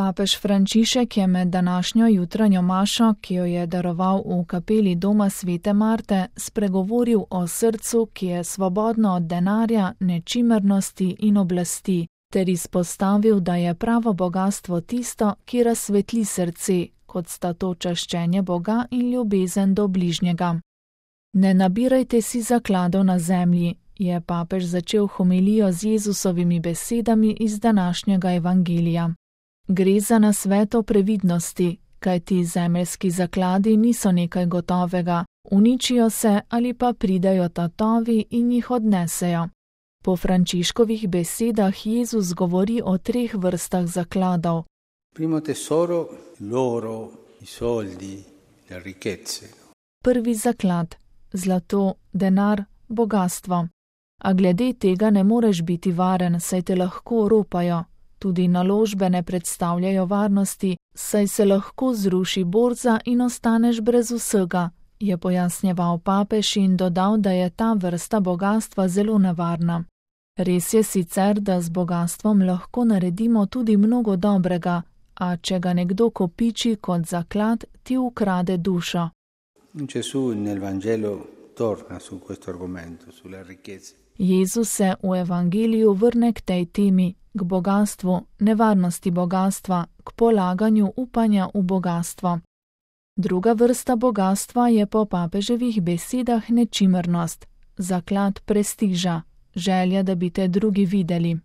Papež Frančišek je med današnjo jutranjo mašo, ki jo je daroval v kapeli doma Svete Marte, spregovoril o srcu, ki je svobodno od denarja, nečimrnosti in oblasti, ter izpostavil, da je pravo bogastvo tisto, ki razsvetli srce, kot sta to čaščenje Boga in ljubezen do bližnjega. Ne nabirajte si zakladov na zemlji, je papež začel homilijo z Jezusovimi besedami iz današnjega evangelija. Gre za nasvet o previdnosti, kajti zemeljski zakladi niso nekaj gotovega, uničijo se ali pa pridejo tatovi in jih odnesejo. Po Frančiškovih besedah Jezus govori o 3 vrstah zakladov. Primo tesoro, l'oro, i soldi, le ricchezze. Prvi zaklad, zlato, denar, bogastvo. A glede tega ne moreš biti varen, saj te lahko ropajo. Tudi naložbe ne predstavljajo varnosti, saj se lahko zruši borza in ostaneš brez vsega, je pojasnjeval papež in dodal, da je ta vrsta bogastva zelo nevarna. Res je sicer, da z bogastvom lahko naredimo tudi mnogo dobrega, a če ga nekdo kopiči kot zaklad, ti ukrade dušo. Gesù nel Vangelo torna su questo argomento, sulle ricchezze. Jezus se v evangeliju vrne k tej temi, k bogatstvu, nevarnosti bogastva, k polaganju upanja v bogastvo. Druga vrsta bogastva je po papeževih besedah nečimrnost, zaklad prestiža, želja, da bi te drugi videli.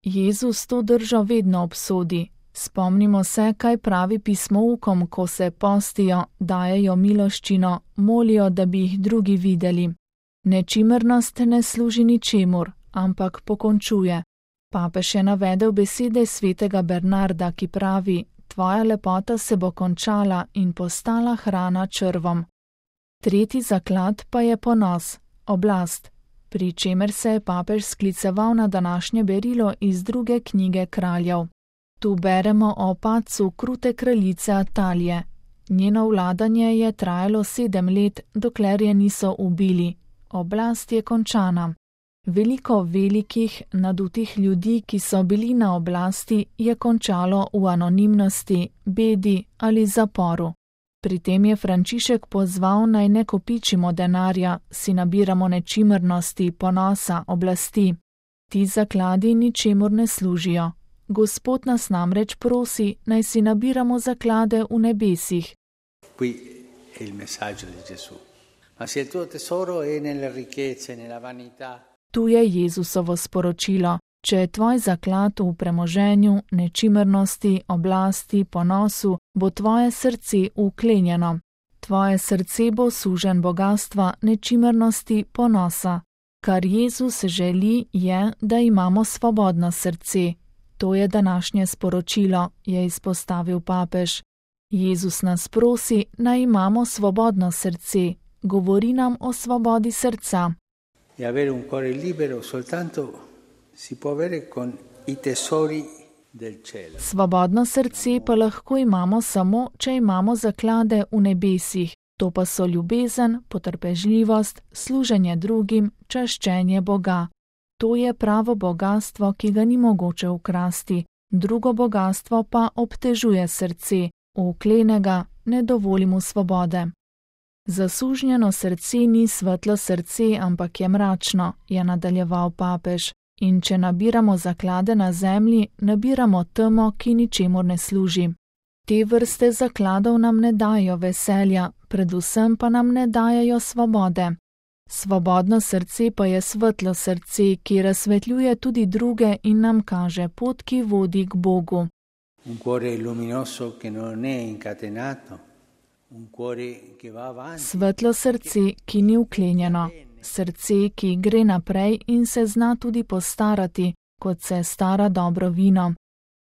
Jezus to držo vedno obsodi. Spomnimo se, kaj pravi pismoukom, ko se postijo, dajejo miloščino, molijo, da bi jih drugi videli. Nečimrnost ne služi ničemur, ampak pokončuje. Papež je navedel besede svetega Bernarda, ki pravi: tvoja lepota se bo končala in postala hrana črvom. Tretji zaklad pa je ponos, oblast, pri čemer se je papež skliceval na današnje berilo iz 2. knjige Kraljev. Tu beremo o padcu krute kraljice Atalije. Njeno vladanje je trajalo 7 let, dokler je niso ubili. Oblast je končana. Veliko velikih, nadutih ljudi, ki so bili na oblasti, je končalo v anonimnosti, bedi ali zaporu. Pri tem je Frančišek pozval, naj ne kopičimo denarja, si nabiramo nečimrnosti, ponosa, oblasti. Ti zakladi ničemur ne služijo. Gospod nas namreč prosi, naj si nabiramo zaklade v nebesih. Qui è il messaggio di Gesù. Ma se il tuo tesoro è nelle ricchezze, nella vanità. Tu je Jezusovo sporočilo. Če je tvoj zaklad v premoženju, nečimrnosti, oblasti, ponosu, bo tvoje srce uklenjeno. Tvoje srce bo sužen bogastva, nečimrnosti, ponosa. Kar Jezus želi, je, da imamo svobodno srce. To je današnje sporočilo, je izpostavil papež. Jezus nas prosi, naj imamo svobodno srce. Govori nam o svobodi srca. E avere un cuore libero soltanto si può avere con i tesori del cielo. Svobodno srce pa lahko imamo samo, če imamo zaklade v nebesih. To pa so ljubezen, potrpežljivost, služenje drugim, čaščenje Boga. To je pravo bogastvo, ki ga ni mogoče ukrasti. Drugo bogastvo pa obtežuje srce, uklene ga, ne dovoli mu svobode. Zasužnjeno srce ni svetlo srce, ampak je mračno, je nadaljeval papež. In če nabiramo zaklade na zemlji, nabiramo temo, ki ničemur ne služi. Te vrste zakladov nam ne dajo veselja, predvsem pa nam ne dajajo svobode. Svobodno srce pa je svetlo srce, ki razsvetljuje tudi druge in nam kaže pot, ki vodi k Bogu. Un cuore luminoso che non è incatenato, un cuore che va avanti. Svetlo srce, ki ni uklenjeno, srce, ki gre naprej in se zna tudi postarati, kot se stara dobro vino.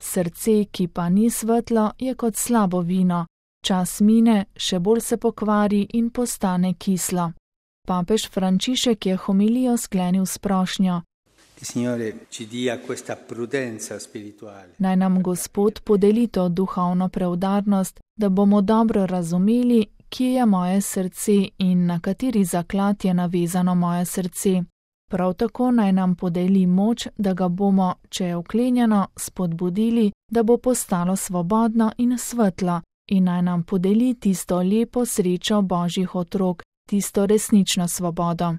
Srce, ki pa ni svetlo, je kot slabo vino. Čas mine, še bolj se pokvari in postane kislo. Papež Frančišek je homilijo sklenil s prošnjo. Naj nam Gospod podeli to duhovno preudarnost, da bomo dobro razumeli, kje je moje srce in na kateri zaklad je navezano moje srce. Prav tako naj nam podeli moč, da ga bomo, če je vklenjeno, spodbudili, da bo postalo svobodno in svetlo, in naj nam podeli tisto lepo srečo Božjih otrok, tisto resnično svobodo.